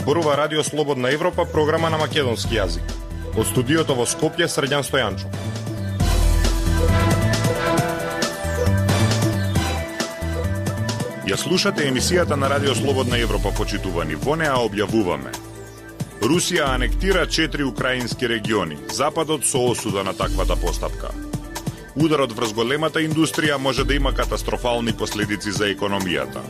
зборува Радио Слободна Европа, програма на македонски јазик. Од студиото во Скопје, Срđan Стојанчов. Ја слушате емисијата на Радио Слободна Европа, почитувани. Во неа објавуваме: Русија анектира 4 украински региони. Западот со осуда на таквата постапка. Ударот врз големата индустрија може да има катастрофални последици за економијата.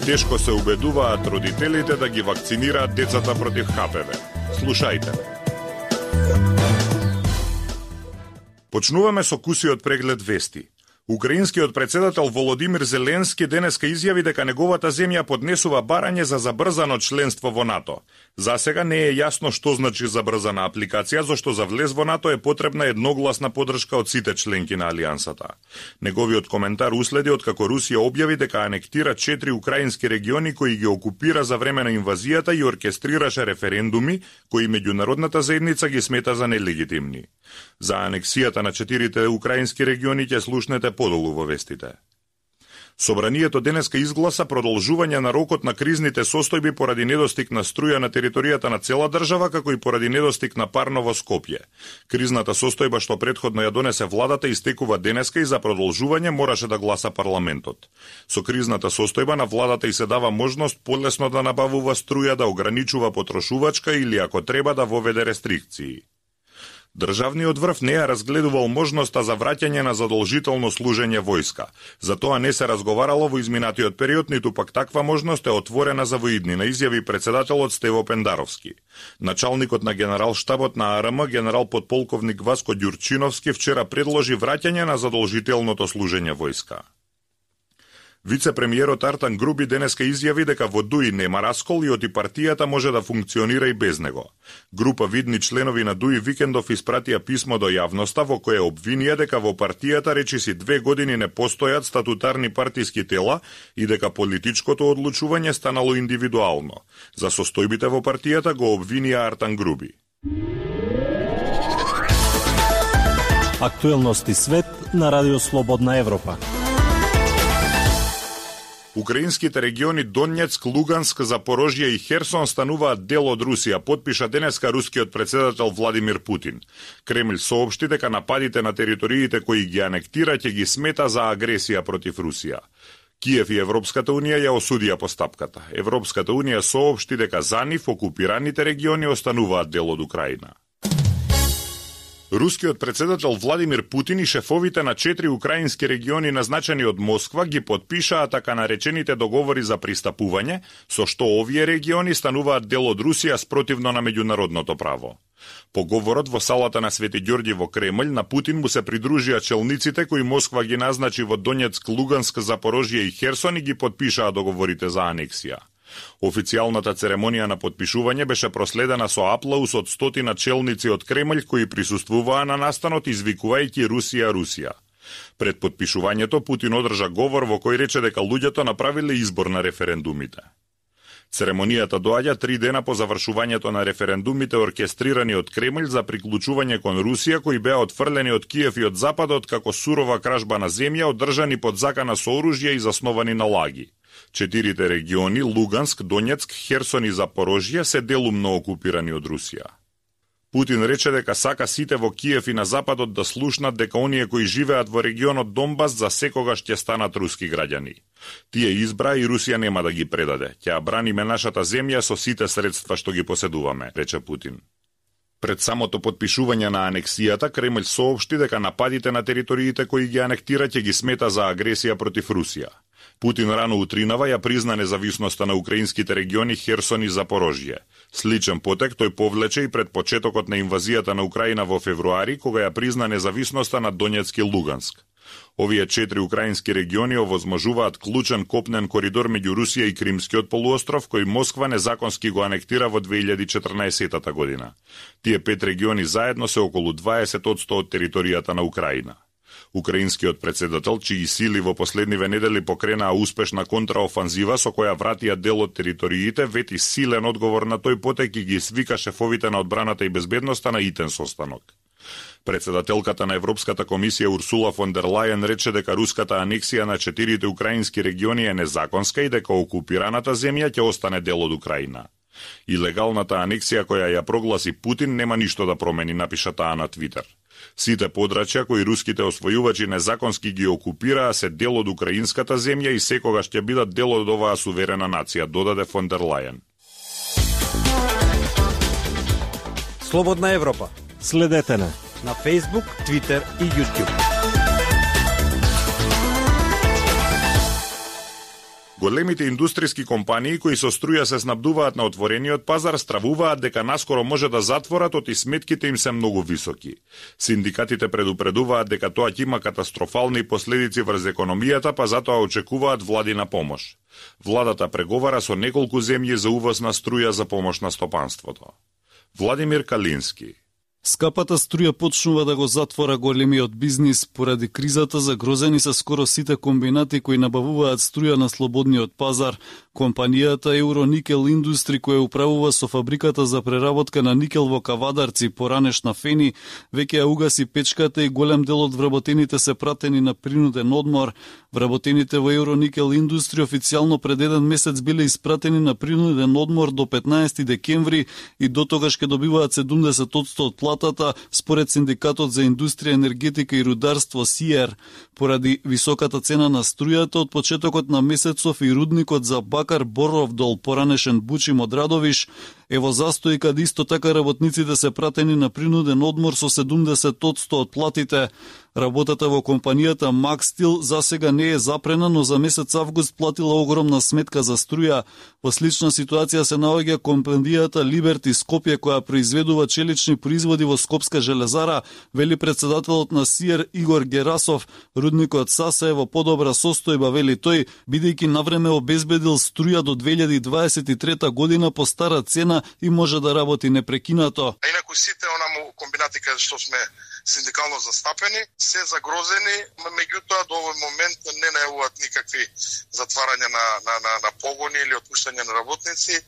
Тешко се убедуваат родителите да ги вакцинираат децата против ХПВ. Слушајте. Почнуваме со кусиот преглед вести. Украинскиот председател Володимир Зеленски денеска изјави дека неговата земја поднесува барање за забрзано членство во НАТО. За сега не е јасно што значи забрзана апликација, зашто за влез во НАТО е потребна едногласна поддршка од сите членки на алијансата. Неговиот коментар уследи откако Русија објави дека анектира 4 украински региони кои ги окупира за време на инвазијата и оркестрираше референдуми кои меѓународната заедница ги смета за нелегитимни. За анексијата на 4 украински региони ќе слушнете подолу во вестите. Собранието денеска изгласа продолжување на рокот на кризните состојби поради недостиг на струја на територијата на цела држава, како и поради недостиг на парно во Скопје. Кризната состојба што претходно ја донесе владата истекува денеска и за продолжување мораше да гласа парламентот. Со кризната состојба на владата и се дава можност полесно да набавува струја, да ограничува потрошувачка или ако треба да воведе рестрикции. Државниот врв не ја разгледувал можноста за враќање на задолжително служење војска. За тоа не се разговарало во изминатиот период, ниту пак таква можност е отворена за воиднина, изјави председателот Стево Пендаровски. Началникот на генерал-штабот на АРМ, генерал подполковник Васко Ѓурчиновски, вчера предложи враќање на задолжителното служење војска. Вице-премиерот Артан Груби денеска изјави дека во ДУИ нема раскол и оти партијата може да функционира и без него. Група видни членови на ДУИ викендов испратија писмо до јавноста во кое обвинија дека во партијата речиси 2 години не постојат статутарни партиски тела и дека политичкото одлучување станало индивидуално. За состојбите во партијата го обвинија Артан Груби. Актуелности свет на Радио Слободна Европа. Украинските региони Донецк, Луганск, Запорожје и Херсон стануваат дел од Русија, потпиша денеска рускиот председател Владимир Путин. Кремљ соопшти дека нападите на териториите кои ги анектира ќе ги смета за агресија против Русија. Киев и Европската унија ја осудија постапката. Европската унија соопшти дека за нив окупираните региони остануваат дел од Украина. Рускиот председател Владимир Путин и шефовите на 4 украински региони назначени од Москва ги потпишаа така наречените договори за пристапување, со што овие региони стануваат дел од Русија спротивно на меѓународното право. По говорот во салата на Свети Ѓорѓи во Кремљ на Путин му се придружија челниците кои Москва ги назначи во Донецк, Луганск, Запорожје и Херсон и ги потпишаа договорите за анексија. Официјалната церемонија на потпишување беше проследена со аплауз од стотина челници од Кремљ кои присуствуваа на настанот извикувајќи Русија, Русија. Пред потпишувањето Путин одржа говор во кој рече дека луѓето направиле избор на референдумите. Церемонијата доаѓа 3 дена по завршувањето на референдумите оркестрирани од Кремљ за приклучување кон Русија, кои беа отфрлени од Киев и од Западот како сурова кражба на земја, одржани под закана со оружје и засновани на лаги. 4 региони, Луганск, Донецк, Херсон и Запорожје, се делумно окупирани од Русија. Путин рече дека сака сите во Киев и на Западот да слушнат дека оние кои живеат во регионот Донбас за секогаш ќе станат руски граѓани. Тие избра и Русија нема да ги предаде. Ќе ја браниме нашата земја со сите средства што ги поседуваме, рече Путин. Пред самото потпишување на анексијата, Кремљ соопшти дека нападите на териториите кои ги анектира ќе ги смета за агресија против Русија. Путин рано утринава ја призна независноста на украинските региони Херсон и Запорожје. Сличен потек тој повлече и пред почетокот на инвазијата на Украина во февруари, кога ја призна независноста на Донецк и Луганск. Овие 4 украински региони овозможуваат клучен копнен коридор меѓу Русија и Кримскиот полуостров, кој Москва незаконски го анектира во 2014 година. Тие 5 региони заедно се околу 20% од територијата на Украина. Украинскиот председател, чии сили во последниве недели покренаа успешна контраофанзива со која вратија дел од териториите, вети силен одговор на тој потек и ги свика шефовите на одбраната и безбедноста на итен состанок. Председателката на Европската комисија Урсула фон дер Лајен рече дека руската анексија на 4 украински региони е незаконска и дека окупираната земја ќе остане дел од Украина. Илегалната анексија која ја прогласи Путин нема ништо да промени, напиша таа на Твитер. Сите подрачја кои руските освојувачи незаконски ги окупираа се дел од украинската земја и секогаш ќе бидат дел од оваа суверена нација, додаде фон дер Лајен. Слободна Европа. Следете на Facebook, Twitter и YouTube. Големите индустријски компании кои со струја се снабдуваат на отворениот пазар стравуваат дека наскоро може да затворат оти сметките им се многу високи. Синдикатите предупредуваат дека тоа ќе има катастрофални последици врз економијата, па затоа очекуваат владина помош. Владата преговара со неколку земји за увоз на струја за помош на стопанството. Владимир Калински. Скапата струја почнува да го затвора големиот бизнис поради кризата, загрозени се скоро сите комбинати кои набавуваат струја на слободниот пазар. Компанијата Euronickel Industry, која управува со фабриката за преработка на никел во Кавадарци, поранешна Фени, веќе ја угаси печката и голем дел од вработените се пратени на принуден одмор. Вработените во Euronickel Industry официјално пред еден месец биле испратени на принуден одмор до 15 декември и дотогаш ќе добиваат 70% од платата, според Синдикатот за индустрија, енергетика и рударство СИЕР. Поради високата цена на струјата, од почетокот на месецов и рудникот за Бакар Боровдол, поранешен Бучим од Радовиш, е во застој, каде исто така работниците се пратени на принуден одмор со 70% од платите. Работата во компанијата Макстил засега не е запрена, но за месец август платила огромна сметка за струја. Во слична ситуација се наоѓа компанијата Либерти Скопје, која произведува челични производи во Скопска железара, вели председателот на СИЕР Игор Герасов. Рудникот САСА е во подобра состојба, вели тој, бидејќи навреме обезбедил струја до 2023 година по стара цена и може да работи непрекинато. Инаку сите онаму комбинати каде што сме синдикално застапени се загрозени, меѓутоа до овој момент не најавуваат никакви затварања на погони или отпуштање на работници.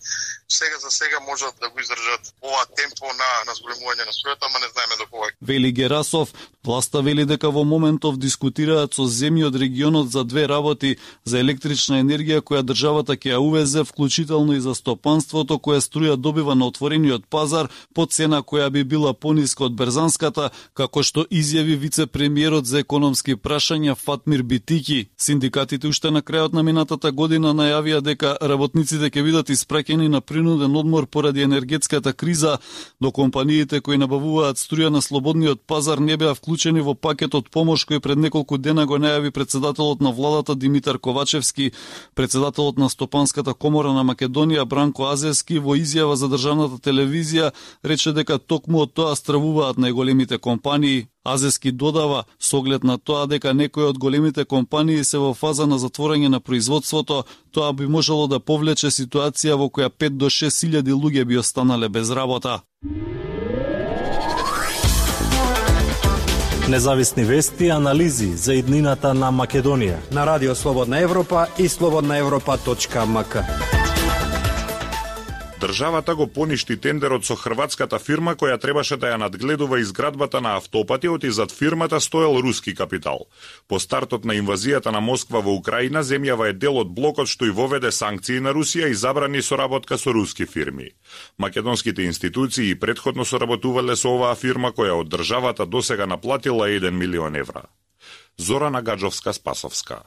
Сега за сега можат да го издржат ова темпо на зголемување на струјата, ама не знаеме до кога. Вели Герасов, власта вели дека во моментов дискутираат со земји од регионот за две работи: за електрична енергија која државата ќе ја увезе, вклучително и за стопанството која струја добива на отворениот пазар по цена која би била пониска од берзанската, како што изјави вице-премиерот за економски прашања Фатмир Битики. Синдикатите уште на крајот на минатата година најавија дека работниците ќе бидат испраќени на принуден одмор поради енергетската криза, до компаниите кои набавуваат струја на слободниот пазар не беа вклучени во пакетот помош кој пред неколку дена го најави председателот на владата Димитар Ковачевски. Председателот на Стопанската комора на Македонија Бранко Азевски во изјава за државната телевизија рече дека токму од тоа стравуваат најголемите компании. Азевски додава, со оглед на тоа дека некои од големите компании се во фаза на затворање на производството, тоа би можело да повлече ситуација во која 5 до 6 илјади луѓе би останале без работа. Независни вести и анализи за иднината на Македонија На Радио Слободна Европа и slobodnaevropa.mk. Државата го поништи тендерот со хрватската фирма која требаше да ја надгледува изградбата на автопатиот и зад фирмата стоел руски капитал. По стартот на инвазијата на Москва во Украина, земјава е дел од блокот што и воведе санкции на Русија и забрани соработка со руски фирми. Македонските институции претходно соработувале со оваа фирма која од државата досега наплатила 1 милион евра. Зорана Гаджовска-Спасовска.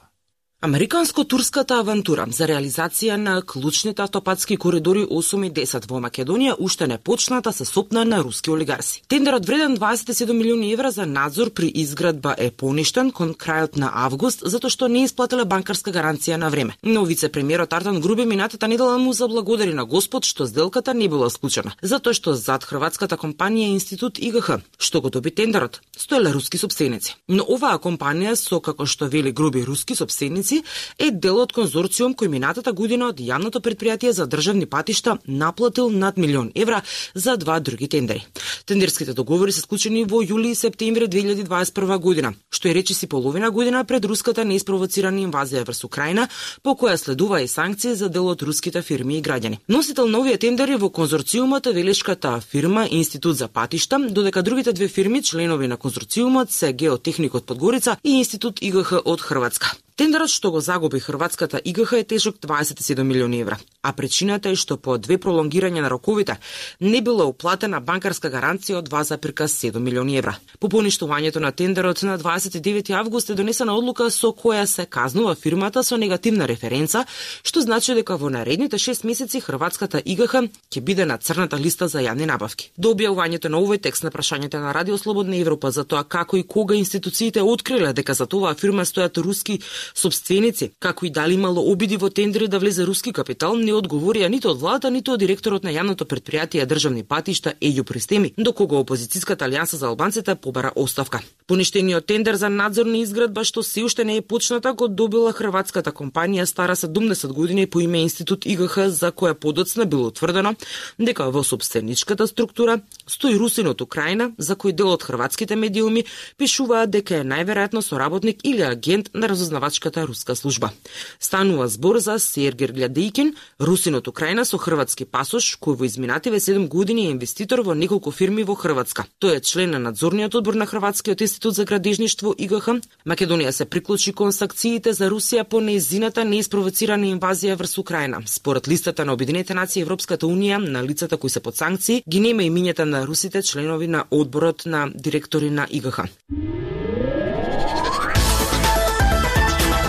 Американско-турската авантура за реализација на клучните автопатски коридори 8 и 10 во Македонија уште не почната се сопна на руски олигарси. Тендерот вреден 27 милиони евра за надзор при изградба е поништен кон крајот на август затоа што не исплатила банкарска гаранција на време. Но вице-премиерот Артан Груби минатата недела му заблагодари на Господ што сделката не била склучена, затоа што зад хрватската компанија Институт ИГХ, што го доби тендерот, стоеле руски сопстеници. Но оваа компанија со, како што вели Груби, руски сопстеници е дел од конзорциум кој минатата година од јавното предпријатие за државни патишта наплатил над милион евра за два други тендери. Тендерските договори се склучени во јули и септември 2021 година, што е речиси половина година пред руската неиспровоцирана инвазија врз Украина, по која следува и санкции за дел од руските фирми и граѓани. Носител на овие тендери во конзорциумот е велешката фирма Институт за патишта, додека другите две фирми, членови на конзорциумот, се Геотехникот Подгорица и Институт ИГХ од Хрватска. Тендерот што го загуби хрватската ИГХ е тежок 27 милиони евра, а причината е што по 2 пролонгирања на роковите не била уплатена банкарска гаранција од 2,7 милиони евра. По поништувањето на тендерот на 29 август е донесена одлука со која се казнува фирмата со негативна референца, што значи дека во наредните 6 месеци хрватската ИГХ ќе биде на црната листа за јавни набавки. До објавувањето на овој текст на прашањето на Радио Слободна Европа за тоа како и кога институциите откриле дека за оваа фирма стојат руски сопственици, како и дали имало обиди во тендери да влезе руски капитал, не одговорија ниту од владата, ниту од директорот на јавното претпријатие државни патишта Еју Пристеми, до кога опозицијската алијанса за албанците побара оставка. Поништениот тендер за надзорна изградба што се уште не е почната го добила хрватската компанија стара 70 години по име Институт ИГХ, за која подоцна било утврдено дека во сопственичката структура стои русин од Украина, за кој дел од хрватските медиуми пишуваат дека е најверојатно соработник или агент на разузнавачката руска служба. Станува збор за Сергеј Глядејкин, русин од Украина со хрватски пасош, кој во изминативе 7 години е инвеститор во неколку фирми во Хрватска. Тој е член на надзорниот одбор на Хрватскиот институт за градежништво ИГХ. Македонија се приклучи кон санкциите за Русија по нејзината неиспровоцирана инвазија врз Украина. Според листата на Обединетите нации и Европската унија, на лицата кои се под санкции, ги нема имињата на русите членови на одборот на директори на ИГХ.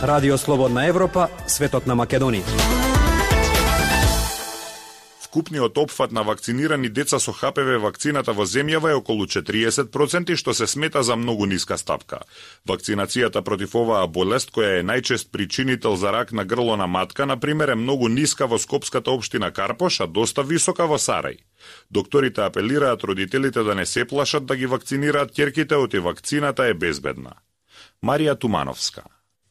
Радио Слободна Европа, светот на Македонија. Вкупниот опфат на вакцинирани деца со ХПВ вакцината во земјава е околу 40%, што се смета за многу ниска стапка. Вакцинацијата против оваа болест, која е најчест причинител за рак на грло на матка, например, е многу ниска во скопската општина Карпош, а доста висока во Сарај. Докторите апелираат родителите да не се плашат да ги вакцинираат ќерките, оти вакцината е безбедна. Марија Тумановска.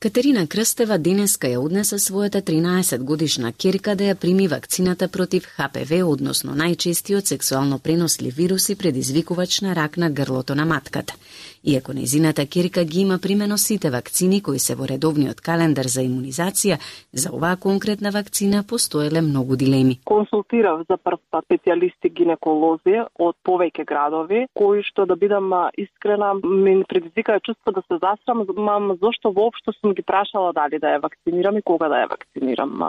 Катерина Крстева денеска ја однесе својата 13-годишна ќерка да ја прими вакцината против ХПВ, односно најчестиот сексуално пренослив вирус и предизвикувач на рак на грлото на матката. Иако нејзината ќерка ги има примено сите вакцини кои се во редовниот календар за имунизација, за оваа конкретна вакцина постоеле многу дилеми. Консултирав за прв пат специјалисти гинеколози од повеќе градови, кои што, да бидам искрена, ми предизвикаа чувство да се засрамам, зошто воопшто сум ги прашала дали да ја вакцинирам и кога да ја вакцинирам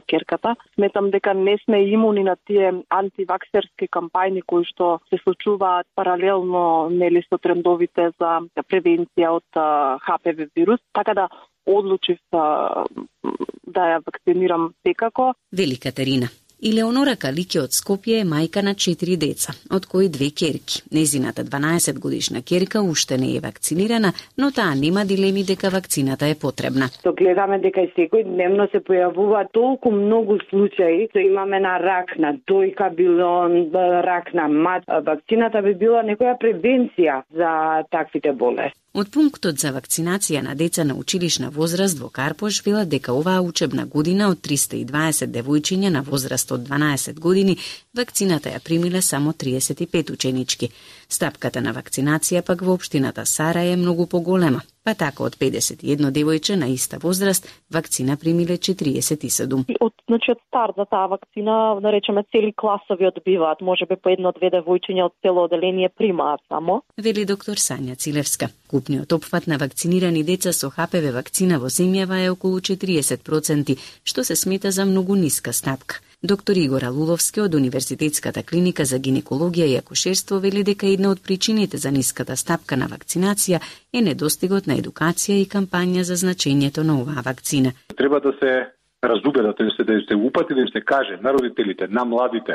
ќерката. Сметам дека не сме имуни на тие антиваксерски кампањи кои што се случуваат паралелно нели со трендовите за превенција од ХПВ вирус, така да одлучив да ја вакцинирам секако. Вели Катерина. Илеонора Калиќе од Скопје е мајка на 4 деца, од кои 2 ќерки. Нејзината 12-годишна ќерка уште не е вакцинирана, но таа нема дилеми дека вакцината е потребна. То гледаме дека и секојдневно се појавуваат толку многу случаи, што имаме на рак на дојка, било рак на мат. Вакцината би била некоја превенција за таквите болести. Од пунктот за вакцинација на деца на училишна возраст во Карпош велат дека оваа учебна година од 320 девојчиња на возраст од 12 години вакцината ја примиле само 35 ученички. Стапката на вакцинација пак во општината Сарај е многу поголема. Па така од 51 девојче на иста возраст вакцина примиле 47. Од старт за таа вакцина, да речеме, цели класови одбиваат, можеби по 1-2 девојчиња од цело оделение примаат само. Вели доктор Сања Цилевска. Купниот опфат на вакцинирани деца со ХПВ вакцина во земјава е околу 40%, што се смета за многу ниска стапка. Доктор Игор Алуловски од Универзитетската клиника за гинекологија и акушерство вели дека една од причините за ниската стапка на вакцинација е недостигот на едукација и кампања за значењето на оваа вакцина. Треба да се разубедат, да се упати, да им се каже на родителите, на младите,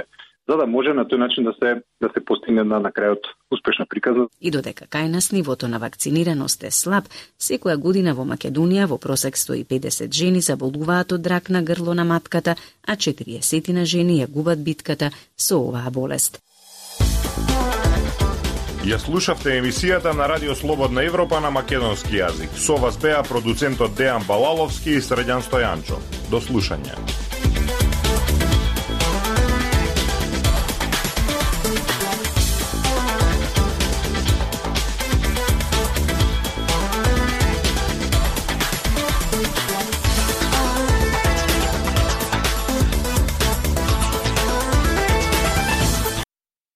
за да може на тој начин да се постигне на крајот успешна приказа. И додека кај нас нивото на вакцинираност е слаб, секоја година во Македонија во просек 150 жени заболуваат од рак на грло на матката, а 40 жени ја губат битката со оваа болест. Ја слушавте емисијата на Радио Слободна Европа на македонски јазик. Со вас беа продуцентот Дејан Балаловски и Средјан Стојанчо. До слушање.